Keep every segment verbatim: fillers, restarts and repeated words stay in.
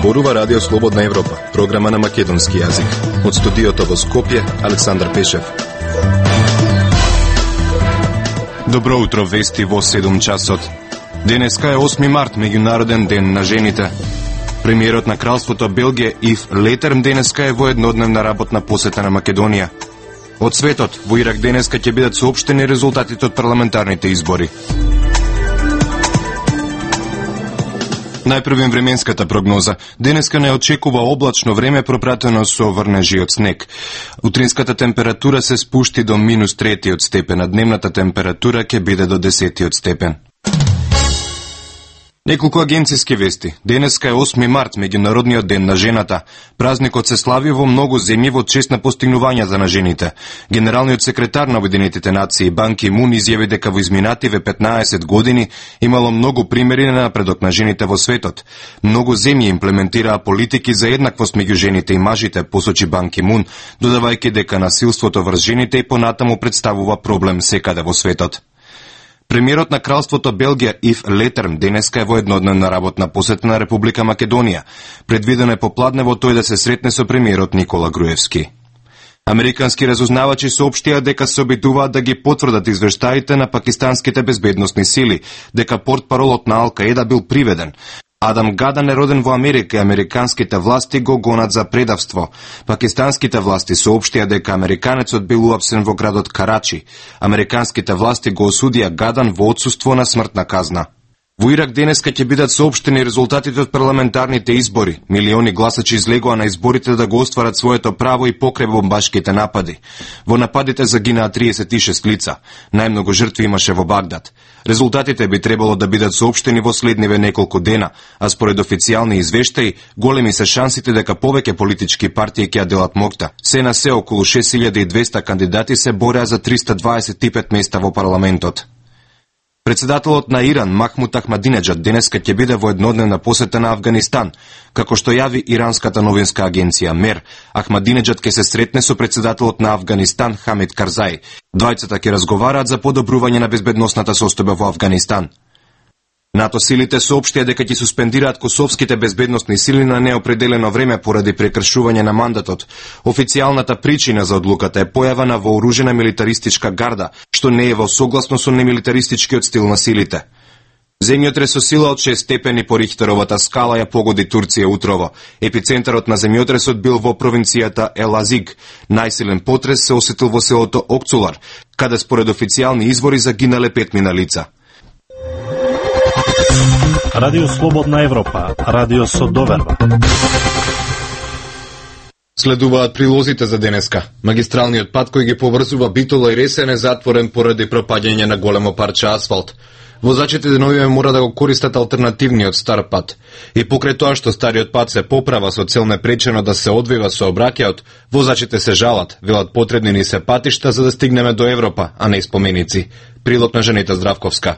Зборува Радио Слободна Европа, програма на македонски јазик. Од студиото во Скопје, Александар Пешев. Добро утро, вести во седум часот. Денеска е осми март, меѓународен ден на жените. Премиерот на Кралството Белгија Ив Летерм денеска е во еднодневна работна посета на Македонија. Од светот, во Ирак денеска ќе бидат соопштени резултатите од парламентарните избори. Најпрвен временската прогноза. Денеска не очекува облачно време пропратено со врнежи од снег. Утринската температура се спушти до минус третиот степен, а дневната температура ќе биде до десетиот степен. Неколку агенцијски вести. Денеска е осми март, меѓународниот ден на жената. Празникот се слави во многу земји во чест на постигнувањата на жените. Генералниот секретар на Обединетите нации Бан Ки Мун изјави дека во изминативе петнаесет години имало многу примери на напредок на жените во светот. Многу земји имплементираа политики за еднаквост меѓу жените и мажите, посочи Бан Ки Мун, додавајќи дека насилството врз жените и понатаму представува проблем секаде во светот. Премиерот на Кралството Белгија Ив Летерм денеска е во еднодневна работна посета на Република Македонија. Предвидено е попладне во тој да се сретне со премиерот Никола Груевски. Американски разузнавачи соопштија дека се обидуваат да ги потврдат извештаите на пакистанските безбедносни сили, дека портпаролот на Ал-Каеда бил приведен. Адам Гадан е роден во Америка и американските власти го гонат за предавство. Пакистанските власти соопштија дека американецот бил уапсен во градот Карачи. Американските власти го осудија Гадан во отсуство на смртна казна. Во Ирак денеска ќе бидат соопштени резултатите од парламентарните избори. Милиони гласачи излегоа на изборите да го остварат своето право и покрај бомбашките напади. Во нападите загинаа триесет и шест лица. Најмногу жртви имаше во Багдад. Резултатите би требало да бидат соопштени во следниве неколку дена, а според официјални извештаи, големи се шансите дека повеќе политички партии ќе ја делат моќта. Се на се околу шест илјади и двесте кандидати се бореа за триста дваесет и пет места во парламентот. Председателот на Иран, Махмуд Ахмадинеджад, денеска ќе биде во еднодневна посета на Авганистан. Како што јави иранската новинска агенција МЕР, Ахмадинеджад ќе се сретне со председателот на Авганистан, Хамид Карзај. Двајцата ќе разговараат за подобрување на безбедносната состојба во Авганистан. НАТО силите соопштија дека ќе суспендираат косовските безбедносни сили на неопределено време поради прекршување на мандатот. Официјалната причина за одлуката е појава на вооружена милитаристичка гарда, што не е во согласно со немилитаристичкиот стил на силите. Земјотрес со сила од шест степени по Рихтеровата скала ја погоди Турција утрово. Епицентарот на земјотресот бил во провинцијата Елазиг. Најсилен потрес се осетил во селото Окцулар, каде според официјални извори загинале петмина лица. Радио Слободна Европа, радио со доверба. Следуваат прилозите за денеска. Магистралниот пат кој ги поврзува Битола и Ресен е затворен поради пропаѓање на големо парче асфалт. Возачите деновиве мора да го користат алтернативниот стар пат. И покрај тоа што стариот пат се поправа со цел непречено да се одвива сообраќајот, возачите се жалат, велат потребни ни се патишта за да стигнеме до Европа, а не споменици. Прилог на Женета Здравковска.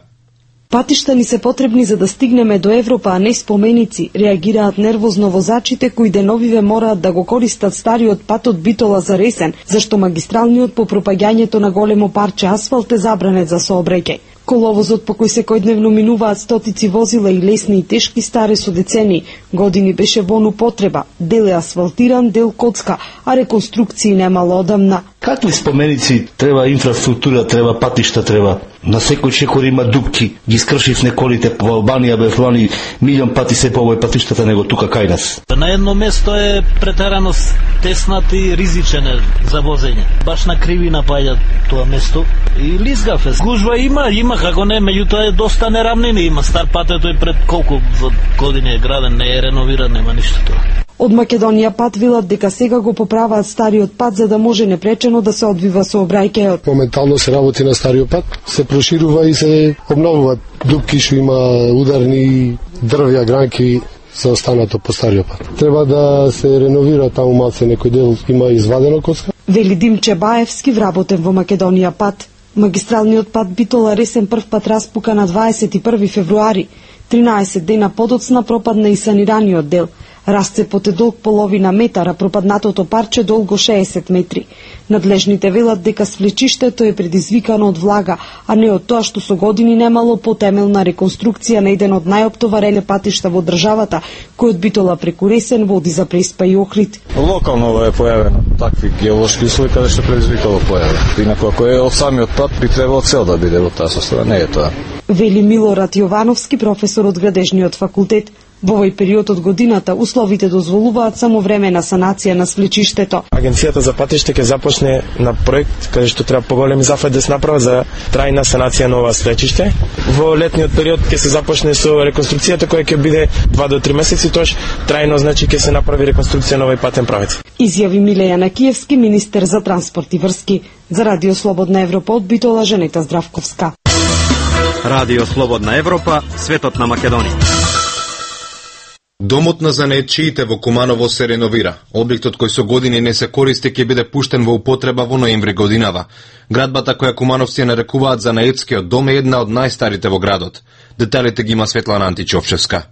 Патишта ни се потребни за да стигнеме до Европа, а не споменици, реагираат нервозно возачите кои деновиве мораат да го користат стариот пат од Битола за Ресен, зашто магистралниот по пропаѓањето на големо парче асфалт е забранет за сообраќај. Коловозот по кој секојдневно минуваат стотици возила и лесни и тешки старе со децени, години беше во употреба, дел е асфалтиран, дел коцка, а реконструкции немало одамна. Какви споменици треба инфраструктура, треба патишта, треба. На секој чекор има дупки, ги скршивне колите по Албанија, бе флани, милион пати се повој патиштата него тука кај нас. На едно место е претерано теснат и ризичен за возење. Баш на кривина паѓа тоа место и лизгав е. Гужва има, има како не, меѓутоа е доста нерамнини, има стар пат, тој пред колку години е граден, не е реновиран, нема ништо тоа. Од Македонија пат велат дека сега го поправаат стариот пат за да може непречено да се одвива сообраќајот. Моментално се работи на стариот пат, се проширува и се обновуваат дупки што има ударни дрвја, гранки се останато по стариот пат. Треба да се реновира таму малце, некој дел има извадено коцка. Вели Димче Баевски, вработен во Македонија пат. Магистралниот пат Битола Ресен прв пат распука на дваесет и први февруари. тринаесет дена подоцна пропадна и санираниот дел. Расцепот е долг половина метар, а пропаднатото парче долго шеесет метри. Надлежните велат дека свлечиштето е предизвикано од влага, а не од тоа што со години немало потемелна реконструкција на еден од најоптоварени патишта во државата, кој од Битола преку Ресен води за Преспа и Охрид. Локално е појавено такви геолошки услови каде што предизвикало појава. Инаку ако е од самиот пат би требало цел да биде во таа состојба, не е тоа. Вели Милорад Јовановски, професор од градежниот факултет. Во овој период од годината условите дозволуваат само времена санација на свлечиштето. Агенцијата за патишта ќе започне на проект каде што треба поголеми зафати да се направат за трајна санација на ова свлечиште. Во летниот период ќе се започне со реконструкцијата која ќе биде два до три месеци, тоаш трајно значи ќе се направи реконструкција на овој патен правец. Изјави Милеја Накиевски, министер за транспорт и врски. За Радио Слободна Европа од Битола, Женета Здравковска. Радио Слободна Европа, светот на Македонија. Домот на занаетчиите во Куманово се реновира. Објектот кој со години не се користи ќе биде пуштен во употреба во ноември годинава. Градбата која кумановци нарекуваат занаетскиот дом е една од најстарите во градот. Деталите ги има Светлана Античовчевска.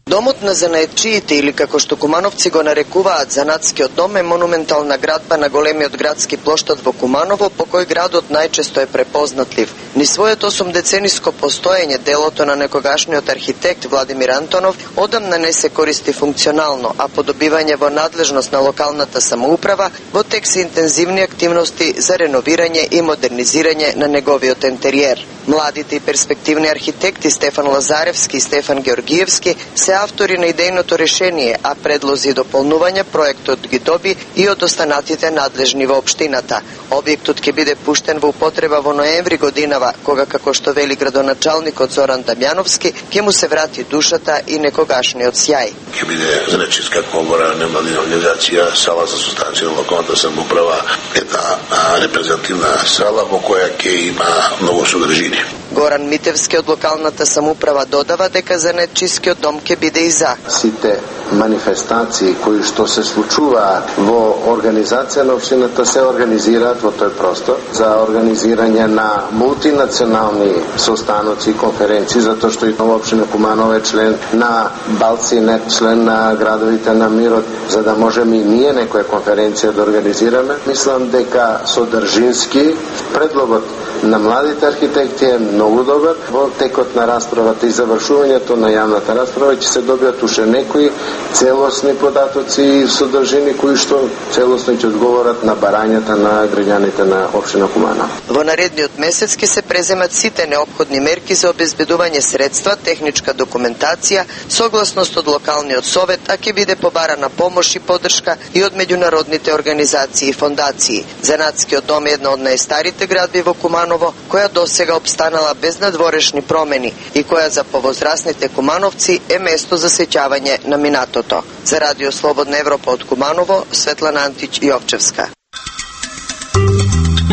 Домот на занаетчиите, или како што кумановци го нарекуваат занатскиот дом, е монументална градба на големиот градски плоштад во Куманово, по кој градот најчесто е препознатлив. Ни своето осумдецениско постоење делото на некогашниот архитект Владимир Антонов одамна не се користи функционално, а по добивање во надлежност на локалната самоуправа, во тек се интензивни активности за реновирање и модернизирање на неговиот интериер. Младите и перспективни архитекти Стефан Лазаревски и Стефан Георгиевски се автори на идејното решение, а предлози и дополнување проектот ги доби и од останатите надлежни во општината. Објектот ќе биде пуштен во употреба во ноември годинава, кога, како што вели градоначалникот Зоран Дамјановски, ќе му се врати душата и некогашниот сјај. Ќе биде занаетчиска комора, невладина организација, сала за состанција на локалната самоуправа, една репрезентативна сала во која ќе има многу содржини. Горан Митевски од локалната самоуправа додава дека занаетчискиот дом ќе биде и за сите манифестации кои што се случуваат во организација на општината се организираат во тој простор за организирање на мултинационални состаноци и конференции, затоа што и нова општина Куманово е член на Балцинет, член на градовите на мирот, за да можеме и ние некоја конференција да организираме. Мислам дека содржински предлогот на младите архитекти е многу добар. Во текот на расправата и завршувањето на јавната расправа ќе се добијат уште некои целосни податоци и содржини кои што целосно ќе одговорат на барањата на граѓаните на општина Куманово. Во наредниот месец ќе се преземат сите неопходни мерки за обезбедување средства, техничка документација, согласност од локалниот совет, а ќе биде побарана помош и поддршка и од меѓународните организации и фондации. Занатскиот дом е една од најстарите градби во Куманово, која досега обстанала без надворешни промени и која за повозрасните кумановци е место за сеќавање на минатото. За Радио Слободна Европа од Куманово, Светлана Антич Јовчевска.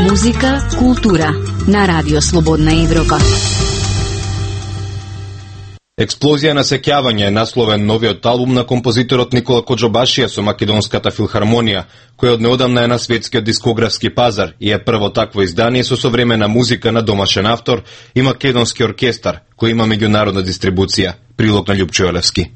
Музика, култура на Радио Слободна Европа. Експлозија на сеќавање е насловен новиот албум на композиторот Никола Коџобашија со Македонската филхармонија, кој од неодамна е на светскиот дискографски пазар и е прво такво издание со современа музика на домашен автор и македонски оркестар, кој има меѓународна дистрибуција. Прилог на Љупчо Елевски.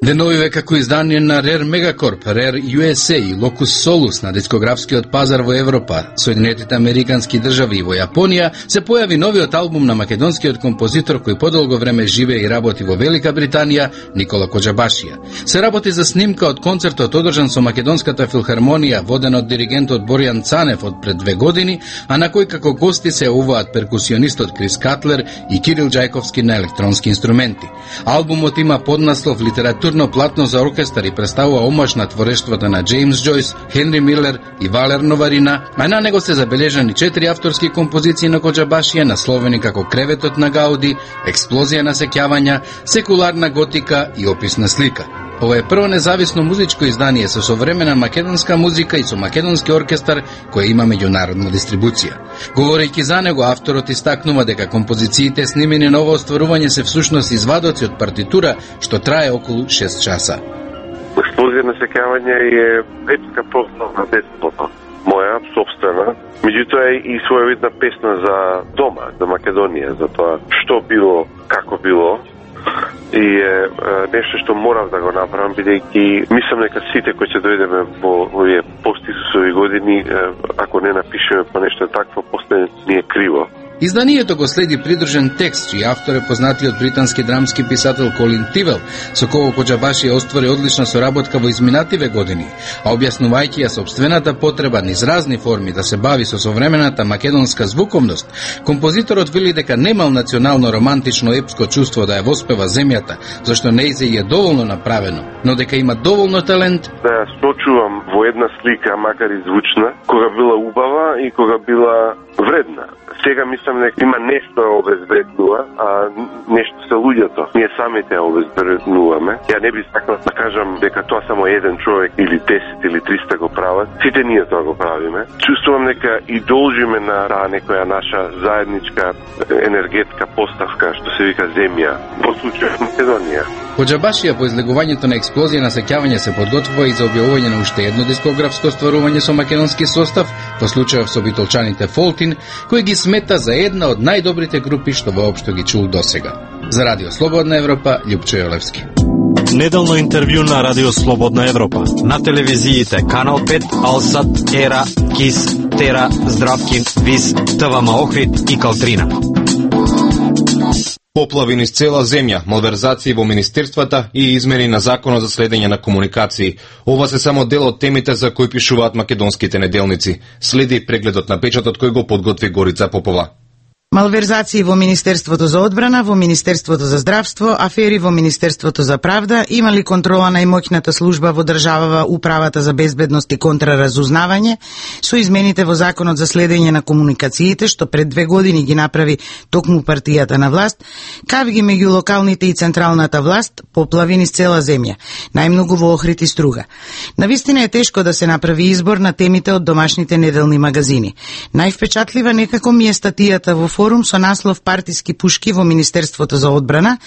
Деновиве како издание на Rare Megacorp, Rare ю ес ей и Locus Solus на дискографскиот пазар во Европа, Соединетите Американски држави и во Јапонија, се појави новиот албум на македонскиот композитор кој подолго време живее и работи во Велика Британија, Никола Коџобашија. Се работи за снимка од концертот одржан со Македонската филхармонија, воден од диригентот Боријан Цанев од пред две години, а на кој како гости се јавуваат перкусионистот Крис Катлер и Кирил Џајковски на електронски инструменти. Албумот има поднаслов литература платно за оркестар и представува омаж на творештвата на Джеймс Џојс, Хенри Милер и Валер Новарина, а на него се забележани четири авторски композиции на Коџобашија, насловени како Креветот на Гауди, Експлозија на сеќавања, Секуларна готика и Описна слика. Ова е прво независно музичко издание со современа македонска музика и со македонски оркестар кој има меѓународна дистрибуција. Говорејќи за него, авторот истакнува дека композициите снимени на ово остварување се всушност извадоци од партитура што трае околу шест часа. Експлозија на сеќавање е епска прослава бесплатно, моја собствена, меѓутоа е и своевидна песна за дома, за Македонија, за тоа што било, како било. и е нешто што морав да го направам, бидејќи мислам дека сите кои ќе дојдеме во овие пост-Исусови години, ако не напишеме по нешто такво, после ни е криво. Изданието го следи придржен текст, чиј автор е познатиот британски драмски писател Колин Тивел, со кого Хоџабашија оствари одлична соработка во изминативе години, а објаснувајќи ја собствената потреба низ разни форми да се бави со современата македонска звуковност, композиторот вели дека немал национално романтично епско чувство да ја воспева земјата, зашто нејзе е доволно направено, но дека има доволно талент да ја сочувам во една слика, макар и звучна, кога била убава и кога била вредна. Сега мислам дека има нешто обезбеднува, а нешто се луѓето. Ние самите обезбеднуваме. Ја не би сакал да кажам дека тоа само еден човек или десет или триста го прават. Сите ние тоа го правиме. Чувствувам дека и должиме на таа некоја наша заедничка енергетска поставка, што се вика земја, во случајот Македонија. Хоџабашија по излегувањето на експлозија на сеќавање се подготвува и за објавување на уште едно дискографско стварување со македонски состав, во случајов со битолчаните Фолтин, кој ги смета за една од најдобрите групи што воопшто ги чул досега. За Радио Слободна Европа, Љупчо Јолевски. Неделно интервју на Радио Слободна Европа. На телевизиите Канал пет, Алсат, Ера, Кис, Тера, Здравкин, Вис, ТВМ Охрид и Калтрина. Поплави низ цела земја, малверзации во министерствата и измени на законот за следење на комуникации. Ова се само дел од темите за кои пишуваат македонските неделници. Следи прегледот на печатот кој го подготви Горица Попова. Малверзации во Министерството за одбрана, во Министерството за здравство, афери во Министерството за правда, имали контрола на имоќната служба во државава Управата за безбедност и контраразузнавање, со измените во Законот за следење на комуникациите, што пред две години ги направи токму партијата на власт, кавги меѓу локалните и централната власт, поплави низ цела земја, најмногу во Охрид и Струга. Навистина е тешко да се направи избор на темите од домашните неделни магазини. Највпечатлива некако ми е статијата во форум со наслов "Партиски пушки во Министерството за одбрана"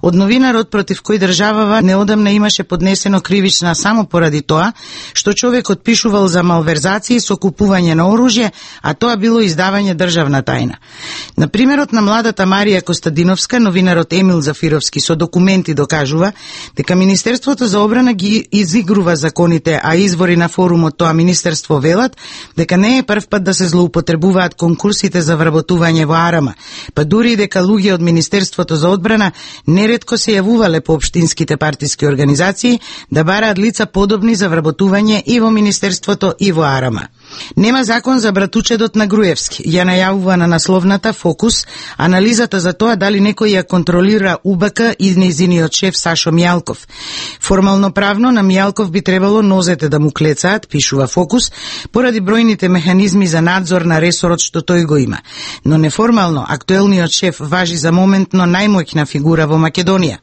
од новинарот против кој државава неодамна имаше поднесено кривична само поради тоа што човекот пишувал за малверзации со купување на оружје, а тоа било издавање државна тајна. На примерот на младата Марија Костадиновска, новинарот Емил Зафировски со документи докажува дека Министерството за одбрана ги изигрува законите, а извори на форумот тоа министерство велат дека не е прв пат да се злоупотребуваат конкурсите за вработување во Арама, па дури и дека луѓе од Министерството за одбрана неретко се јавувале по општинските партиски организации да бараат лица подобни за вработување и во Министерството и во Арама. Нема закон за братучедот на Груевски, ја најавува на насловната Фокус анализата за тоа дали некој ја контролира У Б К и нејзиниот шеф Сашо Мијалков. Формално правно на Мијалков би требало нозете да му клецаат, пишува Фокус, поради бројните механизми за надзор на ресорот што тој го има. Но неформално, актуелниот шеф важи за моментно најмоќна фигура во Македонија.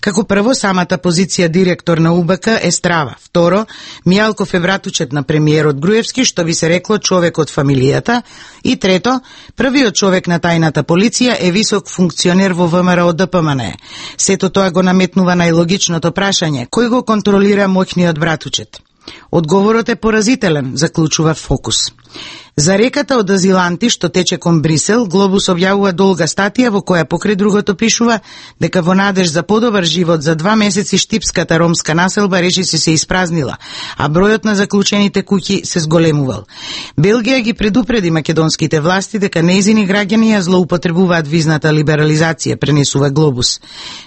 Како прво, самата позиција директор на У Б К е страва. Второ, Мијалков е братучет на премиерот Груевски, што би се рекло човек од фамилијата. И трето, првиот човек на тајната полиција е висок функционер во В М Р О Д П М Н Е. Сето тоа го наметнува најлогичното прашање: кој го контролира моќниот братучет? Одговорот е поразителен, заклучува Фокус. За реката од азиланти што тече кон Брисел, Глобус објавува долга статија во која покрај другото пишува дека во надеж за подобар живот за два месеци штипската ромска населба речиси се испразнила, а бројот на заклучените куќи се зголемувал. Белгија ги предупреди македонските власти дека нејзини граѓани ја злоупотребуваат визната либерализација, пренесува Глобус.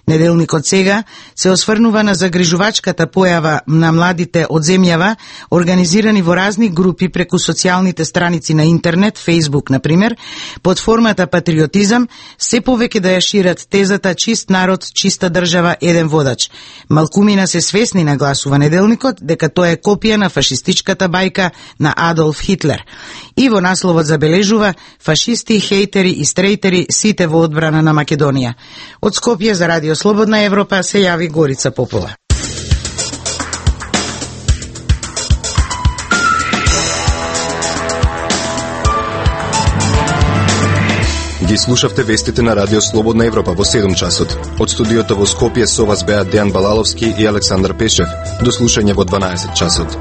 Неделникот Сега се осврнува на загрижувачката појава на младите од земјава, организирани во разни групи преку социјалните страници на интернет, Facebook, например, под формата патриотизам, се повеќе да ја шират тезата чист народ, чиста држава, еден водач. Малкумина се свесни, нагласува Неделникот, дека тоа е копија на фашистичката бајка на Адолф Хитлер. И во насловот забележува: фашисти, хейтери и стрейтери, сите во одбрана на Македонија. Од Скопје за Радио Слободна Европа се јави Горица Попова. Ги слушавте вестите на Радио Слободна Европа во седум часот. Од студиото во Скопје со вас беа Дејан Балаловски и Александар Пешев. До слушање во дванаесет часот.